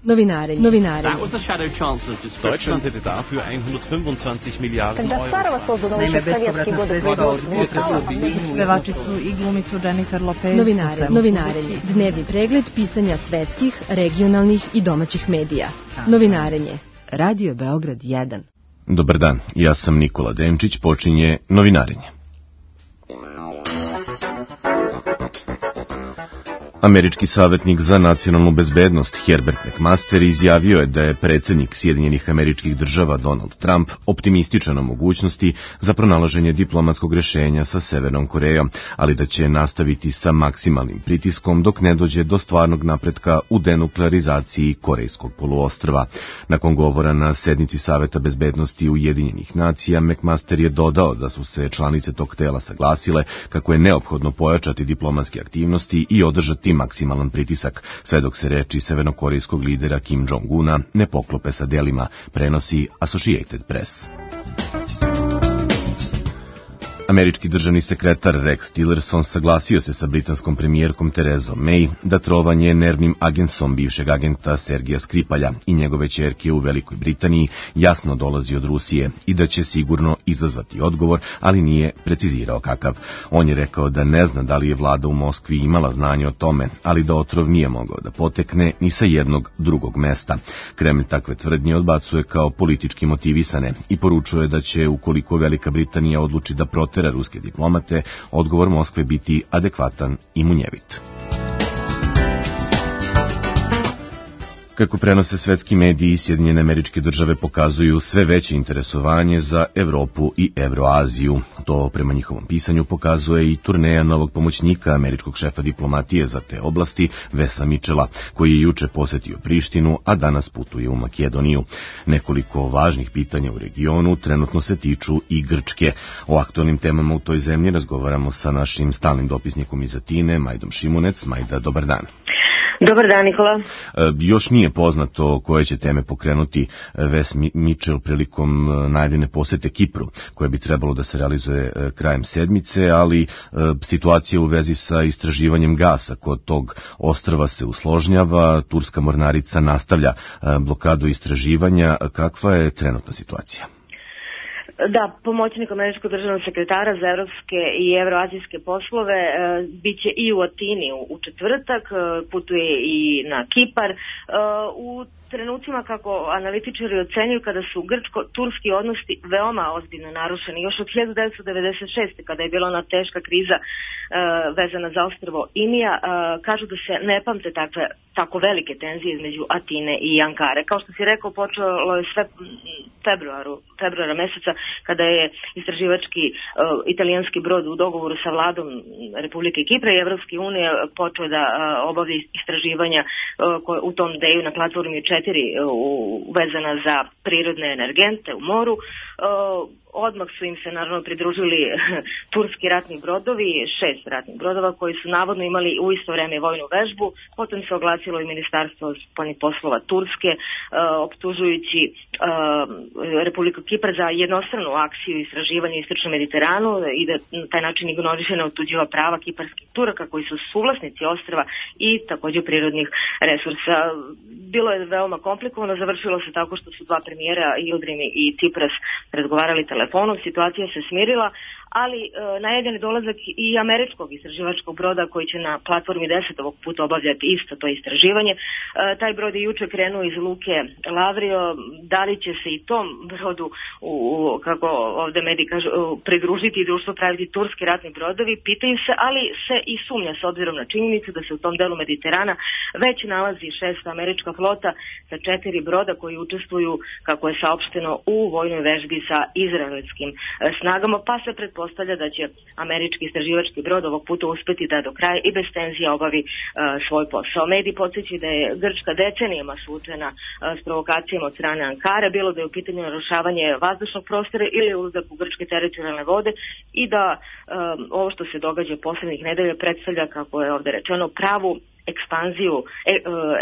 Novinarenje. Deutschland hätte dafür 125 Miliarden Euro. Naime, bespovratna sredstva od budžeta. Pevači su i glumicu Jennifer Lopez. Novinarenje. Dnevni pregled pisanja svetskih, regionalnih i domaćih medija. Novinarenje. Radio Beograd 1. Dobar dan, ja sam Nikola Demčić, počinje Novinarenje. Američki savjetnik za nacionalnu bezbednost Herbert McMaster izjavio je da je predsjednik Sjedinjenih Američkih Država Donald Trump optimističan o mogućnosti za pronalaženje diplomatskog rješenja sa Severnom Korejom, ali da će nastaviti sa maksimalnim pritiskom dok ne dođe do stvarnog napretka u denuklearizaciji Korejskog poluostrva. Nakon govora na sednici Saveta bezbednosti Ujedinjenih nacija, McMaster je dodao da su se članice tog tela saglasile kako je neophodno pojačati diplomatske aktivnosti i održati maksimalan pritisak, sve dok se reči severnokorejskog lidera Kim Jong-una ne poklope sa delima, prenosi Associated Press. Američki državni sekretar Rex Tillerson saglasio se sa britanskom premijerkom Terezom May da trovanje nervnim agensom bivšeg agenta Sergeja Skripalja i njegove ćerke u Velikoj Britaniji jasno dolazi od Rusije i da će sigurno izazvati odgovor, ali nije precizirao kakav. On je rekao da ne zna da li je vlada u Moskvi imala znanje o tome, ali da otrov nije mogao da potekne ni sa jednog drugog mesta. Kremlj takve tvrdnje odbacuje kao politički motivisane i poručuje da će, ukoliko Velika Britanija odluči da protera ruske diplomate, odgovor Moskve biti adekvatan i munjevit. Kako prenose svetski mediji, Sjedinjene Američke Države pokazuju sve veće interesovanje za Evropu i Evroaziju. To prema njihovom pisanju pokazuje i turneja novog pomoćnika američkog šefa diplomatije za te oblasti, Vesa Mitchella, koji je juče posetio Prištinu, a danas putuje u Makedoniju. Nekoliko važnih pitanja u regionu trenutno se tiču i Grčke. O aktualnim temama u toj zemlji razgovaramo sa našim stalnim dopisnikom iz Atine, Majdom Šimunec. Majda, dobar dan. Dobar dan, Nikola. Još nije poznato koje će teme pokrenuti Ves Mitchell prilikom najavljene posete Kipru, koje bi trebalo da se realizuje krajem sedmice, ali situacija u vezi sa istraživanjem gasa kod tog ostrva se usložnjava, turska mornarica nastavlja blokadu istraživanja. Kakva je trenutna situacija? Da, pomoćnik američkog državnog sekretara za evropske i evroazijske poslove biće i u Atini u četvrtak, putuje i na Kipar. U trenucima, kako analitičari ocenjuju, kada su grčko-turski odnosi veoma ozbiljno narušeni, još od 1996. kada je bila ona teška kriza vezana za ostrvo Imija, kažu da se ne pamte tako velike tenzije između Atine i Ankare. Kao što si rekao, počelo je sve februara meseca, kada je istraživački italijanski brod u dogovoru sa vladom Republike Kipra i Evropske unije počeo da obavlja istraživanja u tom deju na platformi 4 vezana za prirodne energente u moru. Odmah su im se naravno pridružili turski ratni brodovi, 6 ratnih brodova koji su navodno imali u isto vreme vojnu vežbu. Potom se oglasilo i Ministarstvo spoljnih poslova Turske, optužujući Republiku Kipar za jednostranu akciju istraživanja u Istočnom Mediteranu i da na taj način ignoriše neotuđiva prava kiparskih Turaka koji su suvlasnici ostrva i također prirodnih resursa. Bilo je veoma komplikovano, završilo se tako što su dva premijera, Yildirim i Tsipras, razgovarali telefonom, situacija se smirila, ali najavljen je dolazak i američkog istraživačkog broda koji će na platformi 10 ovog puta obavljati isto to istraživanje. Taj brod je juče krenuo iz luke Lavrio. Da li će se i tom brodu, kako ovdje mediji kažu, pridružiti i društvo praviti turski ratni brodovi, pitaju se, ali se i sumnja s obzirom na činjenicu da se u tom delu Mediterana već nalazi 6. američka flota sa 4 broda koji učestvuju, kako je saopšteno, u vojnoj vežbi sa izraelskim snagama, pa se pretpostavlja da će američki istraživački brod ovog puta uspeti da do kraja i bez tenzija obavi svoj posao. Mediji podsjećaju da je Grčka decenijama suočena s provokacijama od strane Ankare, bilo da je u pitanju narušavanje vazdušnog prostora ili ulazak u grčke teritorijalne vode, i da ovo što se događa poslednjih nedelja predstavlja, kako je ovdje rečeno, pravu ekspanziju,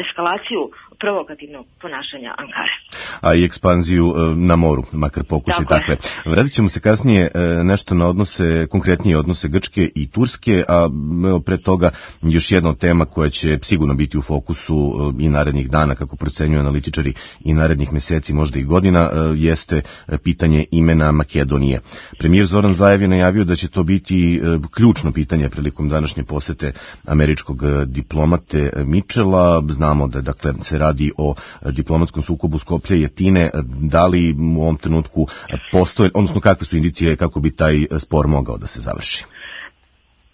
eskalaciju provokativnog ponašanja Ankare. a i ekspanziju na moru, makar pokušaj takve. Vratit ćemo se kasnije nešto na odnose, konkretnije odnose Grčke i Turske, a pre toga još jedna od tema koja će sigurno biti u fokusu i narednih dana, kako procenjuju analitičari, i narednih meseci, možda i godina, jeste pitanje imena Makedonije. Premijer Zoran Zaev je najavio da će to biti ključno pitanje prilikom današnje posete američkog diplomate Mitchella. Znamo da dakle se radi o diplomatskom sukobu Skoplja i Atine. Da li u ovom trenutku postoje, odnosno kakve su indicije kako bi taj spor mogao da se završi?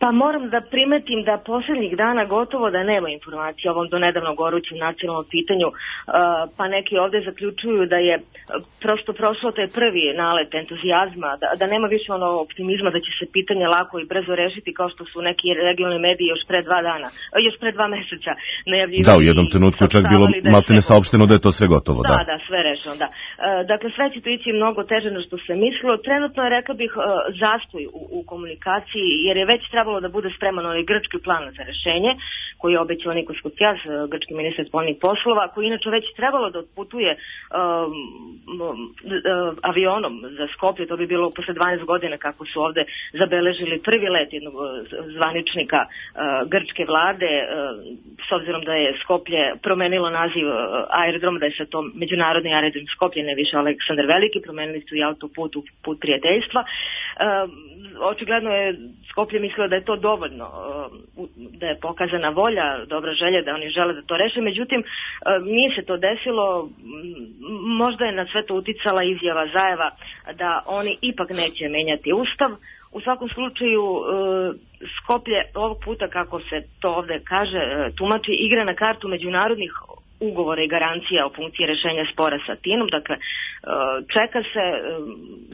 Pa moram da primetim da posljednjih dana gotovo da nema informacija o ovom donedavno gorućem nacionalnom pitanju, pa neki ovde zaključuju da je prosto prošlo taj prvi nalet entuzijazma, da nema više ono optimizma da će se pitanje lako i brzo rešiti kao što su neki regionalni mediji još pre 2 meseca najavljivali. Da, u jednom trenutku čak bilo maltene saopšteno da je to sve gotovo. Da, sve rešeno, da. Dakle, sve će to ići mnogo teže na što se mislilo. Trenutno je, rekla bih, zastoj u komunikaciji, jer je već trebalo da bude spreman ovaj grčki plan za rešenje, koji je obećao Nikos Koutsias, grčki ministar spoljnih poslova, koji inače već trebalo da otputuje avionom za Skoplje. To bi bilo posle 12 godina kako su ovde zabeležili prvi let jednog zvaničnika grčke vlade, s obzirom da je Skoplje promenilo naziv aerodroma, da je sad to međunarodni aerodrom Skoplje, ne više Aleksandar Veliki, promenili su i autoput u put prijateljstva. Očigledno je Skoplje mislilo da je to dovoljno, da je pokazana volja, dobra želja da oni žele da to reše, međutim nije se to desilo. Možda je na sve to uticala izjava Zaeva da oni ipak neće menjati ustav. U svakom slučaju Skoplje ovog puta, kako se to ovde kaže, tumači, igra na kartu međunarodnih ugovora i garancija o funkciji rešenja spora sa Atinom. Dakle, čeka se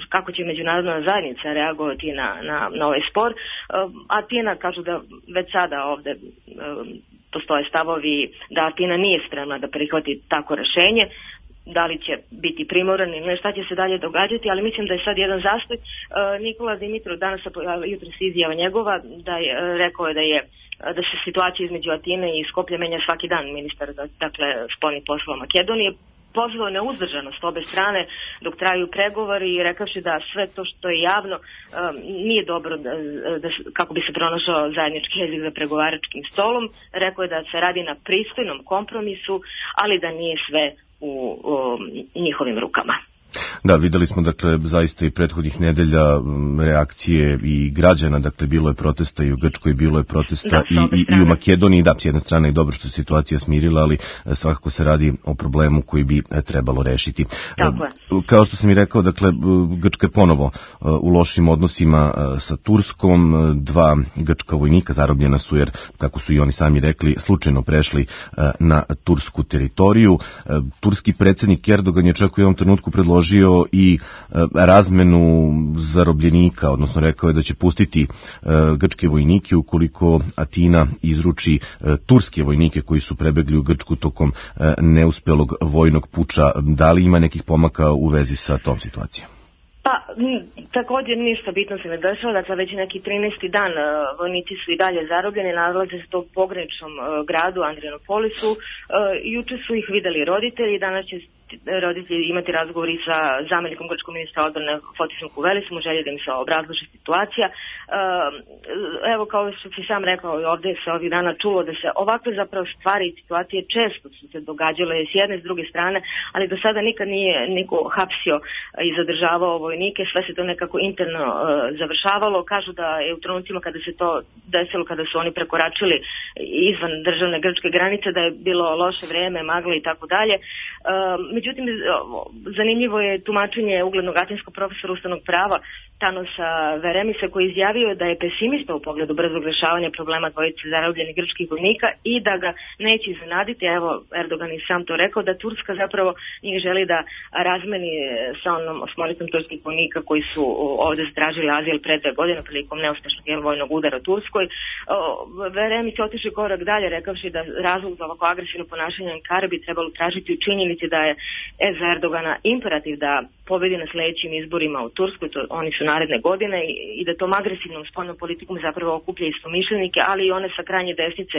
kako će međunarodna zajednica reagovati na ovaj spor. Atina kažu da već sada ovde postoje stavovi da Atina nije spremna da prihvati tako rešenje. Da li će biti primoran ili šta će se dalje događati, ali mislim da je sad jedan zastoj. Nikola Dimitrov danas jutros izjava njegova rekao je da se situacija između Atine i Skoplja menja svaki dan. Ministar, dakle, spoljnih poslova Makedonije pozvao neuzdržanost obe strane dok traju pregovori i rekavši da sve to što je javno nije dobro kako bi se pronašao zajednički jezik za pregovaračkim stolom. Rekao je da se radi na pristojnom kompromisu, ali da nije sve u njihovim rukama. Da, videli smo, dakle, zaista i prethodnih nedelja reakcije i građana, dakle, bilo je protesta i u Grčkoj, bilo je protesta i u Makedoniji. Da, s jedne strane je dobro što se situacija smirila, ali svakako se radi o problemu koji bi trebalo rešiti. Tako je. Kao što sam i rekao, dakle, Grčka je ponovo u lošim odnosima sa Turskom. 2 grčka vojnika zarobljena su jer, kako su i oni sami rekli, slučajno prešli na tursku teritoriju. Turski predsjednik Erdogan je čak u jednom trenutku predložio i razmenu zarobljenika, odnosno rekao je da će pustiti grčke vojnike ukoliko Atina izruči turske vojnike koji su prebegli u Grčku tokom neuspelog vojnog puča. Da li ima nekih pomaka u vezi sa tom situacijom? Pa, također ništa bitno se ne dešava, dakle već neki 13. dan vojnici su i dalje zarobljeni, nalaze se to u pograničnom gradu Andrianopolisu. Juče su ih videli roditelji, danas će roditelji imati razgovori sa zamjenikom grčkog ministra odbrane Fotisom Kuvelisom u želji da im se obrazloži situacija. Evo, kao što si sam rekao, ovdje se ovih dana čulo da se ovakve zapravo stvari i situacije često su se događale s jedne i s druge strane, ali do sada nikad nije niko hapsio i zadržavao vojnike, sve se to nekako interno završavalo. Kažu da je u trenucima kada se to desilo, kada su oni prekoračili izvan državne grčke granice, da je bilo loše vrijeme, magle i tako dalje. Međutim, zanimljivo je tumačenje uglednog atinskog profesora ustavnog prava Thanosa Veremisa, koji izjavio da je pesimista u pogledu brzog rješavanja problema dvojice zarobljenih grčkih vojnika i da ga neće iznenaditi. Evo, Erdogan je sam to rekao, da Turska zapravo njih želi da razmeni sa onom osmoricom turskih vojnika koji su ovdje zatražili azil pre 2 godine prilikom neuspešnog vojnog udara u Turskoj. Veremis je otišao korak dalje, rekavši da razlog za ovako agresivno ponašanje Ankare bi trebalo tražiti u činjenici da je za Erdogana imperativ da pobedi na sljedećim izborima u Turskoj. Oni su naredne godine i da tom agresivnom spoljnom politikom zapravo okuplja istomišljenike, ali i one sa krajnje desnice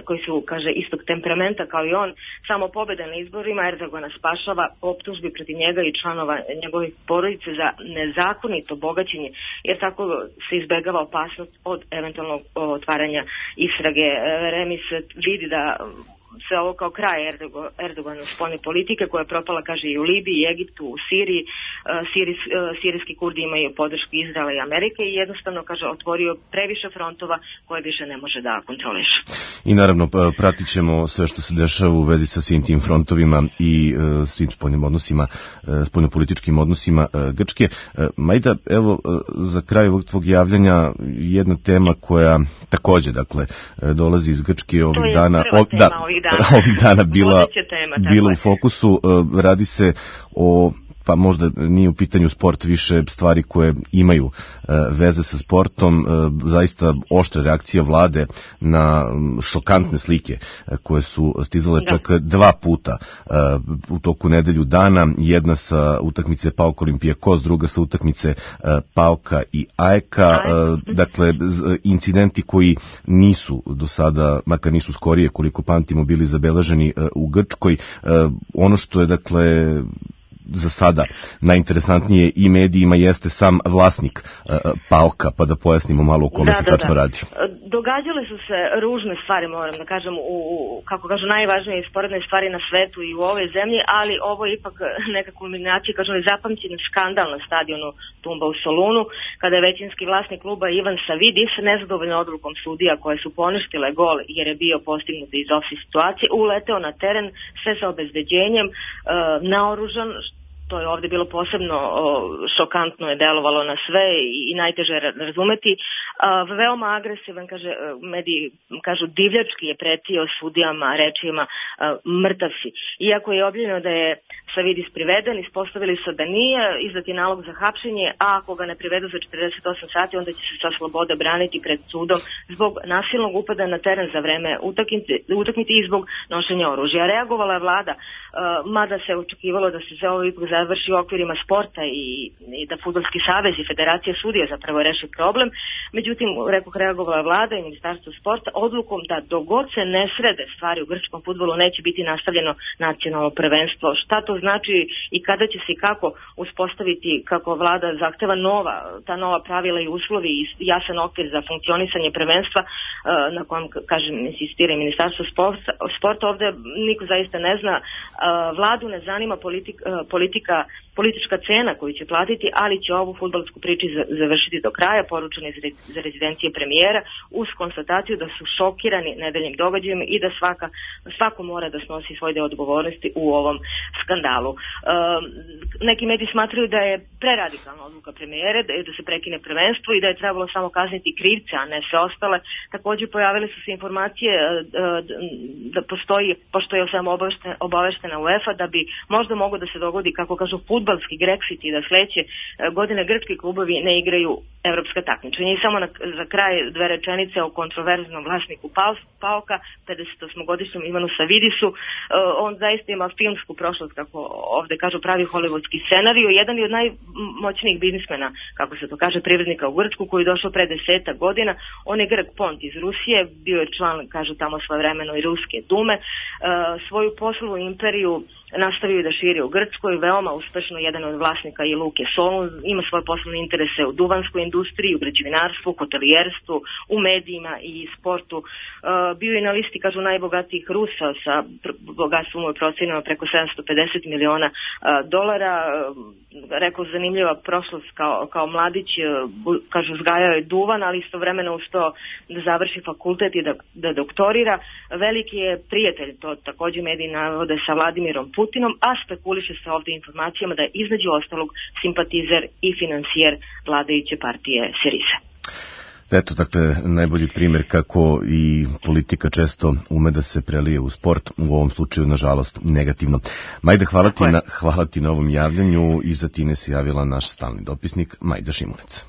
koji su, kaže, istog temperamenta kao i on. Samo pobjeda na izborima Erdogana spašava optužbi protiv njega i članova njegove porodice za nezakonito bogaćenje, jer tako se izbegava opasnost od eventualnog otvaranja istrage. Remis vidi da sve ovo kao kraj Erdoganove spoljne politike koja je propala, kaže, i u Libiji, Egiptu, u Siriji. Sirijski Kurdi imaju podršku Izraela i Amerike i jednostavno, kaže, otvorio previše frontova koje više ne može da kontroliše. I naravno pratit ćemo sve što se dešava u vezi sa svim tim frontovima i svim spoljnim odnosima, spoljnopolitičkim odnosima Grčke. Majda, evo za kraj ovog tvog javljanja jedna tema koja takođe, dakle, dolazi iz Grčke ovih dana. Ovih dana bila u fokusu. Radi se o, pa možda nije u pitanju sport, više stvari koje imaju veze sa sportom, zaista oštra reakcija vlade na šokantne slike koje su stizale čak 2 puta u toku nedelju dana, jedna sa utakmice PAOK Olimpijakos, druga sa utakmice PAOK-a i AEK-a, dakle incidenti koji nisu do sada, makar nisu skorije koliko pamtimo, bili zabeleženi u Grčkoj. Ono što je, dakle, za sada najinteresantnije i medijima jeste sam vlasnik PAOK-a, pa da pojasnimo malo o kome se tačno radi. Događale su se ružne stvari, moram da kažem, kako kažu, najvažnije i sporedne stvari na svetu i u ovoj zemlji, ali ovo je ipak neka kulminacija, kažem, zapamćen skandal na stadionu Tumba u Solunu, kada je većinski vlasnik kluba Ivan Savidis, nezadovoljno odlukom sudija koje su poništile gol jer je bio postignut iz ofsajd situacije, uleteo na teren sve sa obezbeđenjem, naoružan. To je ovdje bilo posebno šokantno, je delovalo na sve i najteže razumeti. Veoma agresivan, kaže, mediji kažu divljački je pretio sudijama rečima mrtav si. Iako je objavljeno da je Savidis priveden, ispostavili su da nije, izdat je nalog za hapšenje, a ako ga ne privedu za 48 sati, onda će se sa slobode braniti pred sudom zbog nasilnog upada na teren za vreme utakmice i zbog nošenja oružja. Reagovala je vlada, mada se očekivalo da se sve ovo ipak završi u okvirima sporta i da Fudbalski savez i Federacija sudija zapravo reši problem. Međutim, reagovala je vlada i Ministarstvo sporta odlukom da dogod se ne srede stvari u grčkom fudbalu neće biti nastavljeno nacionalno prvenstvo. Šta to znači i kada će se i kako uspostaviti, kako vlada zahteva ta nova pravila i uslovi i jasan okvir za funkcionisanje prvenstva, na kojem, kažem, insistira i Ministarstvo sporta, ovdje niko zaista ne zna. Vladu ne zanima politička cena koju će platiti, ali će ovu fudbalsku priču završiti do kraja, poručeno za rezidencije premijera, uz konstataciju da su šokirani nedeljnim događajem i da svako mora da snosi svoj deo odgovornosti u ovom skandalu. Neki mediji smatraju da je preradikalna odluka premijere, da se prekine prvenstvo i da je trebalo samo kazniti krivce, a ne sve ostale. Također pojavile su se informacije da postoji, pošto je sam obaveštena UEFA, da bi možda moglo da se dogodi, kako kažu, fudbalski Grexit i da sledeće godine grčki klubovi ne igraju evropska takmičenja. I samo za kraj 2 rečenice o kontroverznom vlasniku PAOK-a, 58-godišnjem Ivanu Savidisu. On zaista ima filmsku prošlost, kako ovde kažu, pravi hollywoodski scenarij. Jedan je od najmoćnijih biznismena, kako se to kaže, privrednika u Grčku, koji je došao pre 10 godina. On je Grk Pont iz Rusije, bio je član, kažu tamo svojevremeno, i Ruske dume. Svoju poslovnu imperiju nastavio da širi u Grčkoj, veoma uspešno, jedan od vlasnika i Luke Solun, ima svoje poslovne interese u duvanskoj industriji, u građevinarstvu, hotelijerstvu, u medijima i sportu. Bio je na listi, kažu, najbogatijih Rusa sa bogatstvom u procenama preko $750 miliona. Rekao, zanimljiva prošlost kao mladić, kažu, uzgajao je duvan, ali istovremeno uspeo da završi fakultet i da doktorira. Veliki je prijatelj, to također mediji navode, sa Vladimirom Putinom, a spekuliše se ovdje informacijama da je između ostalog simpatizer i finansijer vladajuće partije Syriza. Eto, dakle, najbolji primjer kako i politika često ume da se prelije u sport, u ovom slučaju, nažalost, negativno. Majda, hvala ti na ovom javljanju. Iza Tine se javila naš stalni dopisnik Majda Šimunec.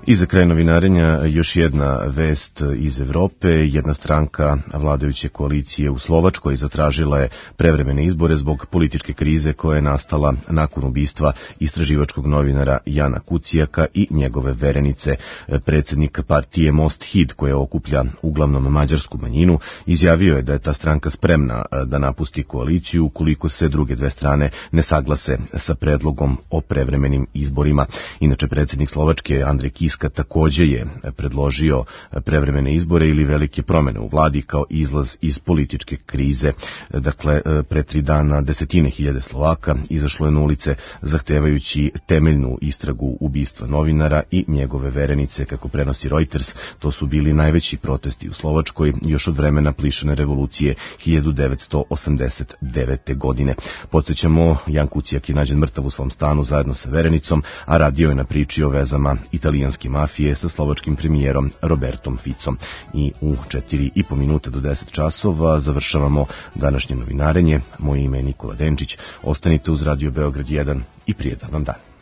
I za kraj novinarenja još jedna vest iz Evrope. Jedna stranka vladajuće koalicije u Slovačkoj zatražila je prevremene izbore zbog političke krize koja je nastala nakon ubistva istraživačkog novinara Jana Kucijaka i njegove verenice. Predsjednik partije Most Híd, koja okuplja uglavnom mađarsku manjinu, izjavio je da je ta stranka spremna da napusti koaliciju ukoliko se druge dve strane ne saglase sa predlogom o prevremenim izborima. Inače, predsjednik Slovačke Andrej Kiska također je predložio prevremene izbore ili velike promjene u vladi kao izlaz iz političke krize. Dakle, pre 3 dana desetine hiljade Slovaka izašlo je na ulice zahtevajući temeljnu istragu ubistva novinara i njegove verenice. Kako prenosi Reuters, to su bili najveći protesti u Slovačkoj još od vremena plišane revolucije 1989. godine. Podsjećamo, Jan Kucijak je nađen mrtav u svom stanu zajedno sa verenicom, a radio je na priči o vezama italijanske mafije sa slovačkim premijerom Robertom Ficom. I u 4,5 minuta do 10 časova završavamo današnje novinarenje. Moje ime je Nikola Denčić. Ostanite uz Radio Beograd 1 i prijetan vam dan.